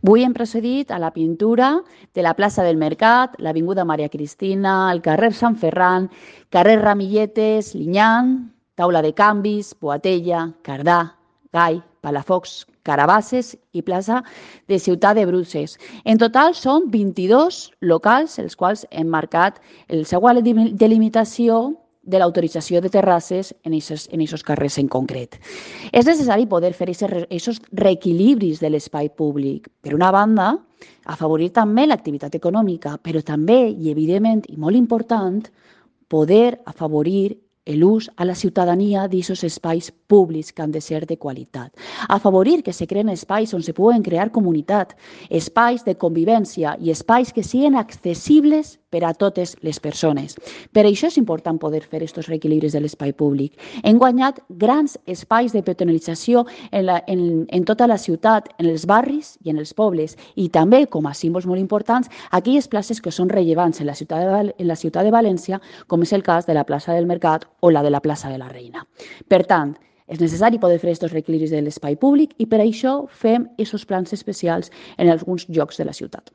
Avui hem procedit a la pintura de la plaça del Mercat, l'Avinguda Maria Cristina, el carrer Sant Ferran, carrer Ramilletes, Linyan, Taula de Canvis, Boatella, Cardà, Gai, Palafox, Carabasses i plaça de Ciutat de Bruses. En total són 22 locals els quals hem marcat el següent delimitació de l'autorització de terrasses en aquests carrers en concret. És necessari poder fer aquests reequilibris de l'espai públic. Per una banda, afavorir també l'activitat econòmica, però també, i evidentment i molt important, poder afavorir l'ús a la ciutadania d'aquests espais públics que han de ser de qualitat. Afavorir que se creen espais on se puguen crear comunitat, espais de convivència i espais que siguin accessibles per a totes les persones. Per això és important poder fer aquests reequilibris de l'espai públic. Hem guanyat grans espais de peatonalització en tota la ciutat, en els barris i en els pobles, i també, com a símbols molt importants, aquelles places que són rellevants en la ciutat de València, com és el cas de la plaça del Mercat o la de la plaça de la Reina. Per tant, és necessari poder fer aquests reequilibris de l'espai públic i per això fem aquests plans especials en alguns llocs de la ciutat.